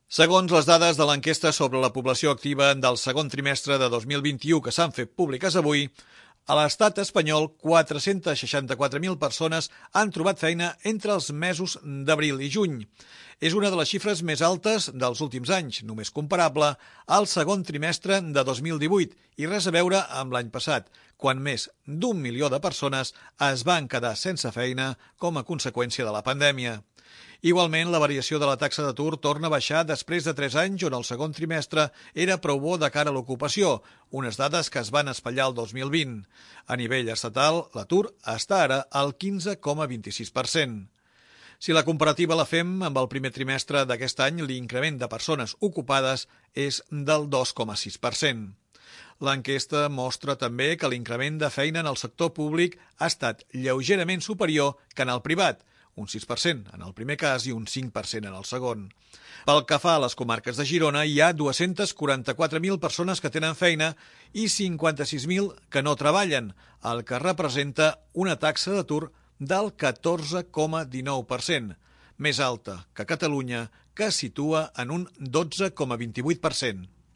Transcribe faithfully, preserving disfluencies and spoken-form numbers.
Segons les dades de l'enquesta sobre la població activa del segon trimestre de dos mil vint-i-u que s'han fet públiques avui, a l'estat espanyol quatre-cents seixanta-quatre mil persones han trobat feina entre els mesos d'abril i juny. És una de les xifres més altes dels últims anys, només comparable al segon trimestre de dos mil divuit i res a veure amb l'any passat, quan més d'un milió de persones es van quedar sense feina com a conseqüència de la pandèmia. Igualment, la variació de la taxa d'atur torna a baixar després de tres anys on el segon trimestre era prou bo de cara a l'ocupació, unes dades que es van espatllar el dos mil vint. A nivell estatal, l'atur està ara al quinze coma vint-i-sis per cent. Si la comparativa la fem amb el primer trimestre d'aquest any, l'increment de persones ocupades és del dos coma sis per cent. L'enquesta mostra també que l'increment de feina en el sector públic ha estat lleugerament superior que en el privat, un sis per cent en el primer cas i un cinc per cent en el segon. Pel que fa a les comarques de Girona, hi ha dues-centes quaranta-quatre mil persones que tenen feina i cinquanta-sis mil que no treballen, el que representa una taxa d'atur del catorze coma dinou per cent, més alta que Catalunya, que es situa en un dotze coma vint-i-vuit per cent.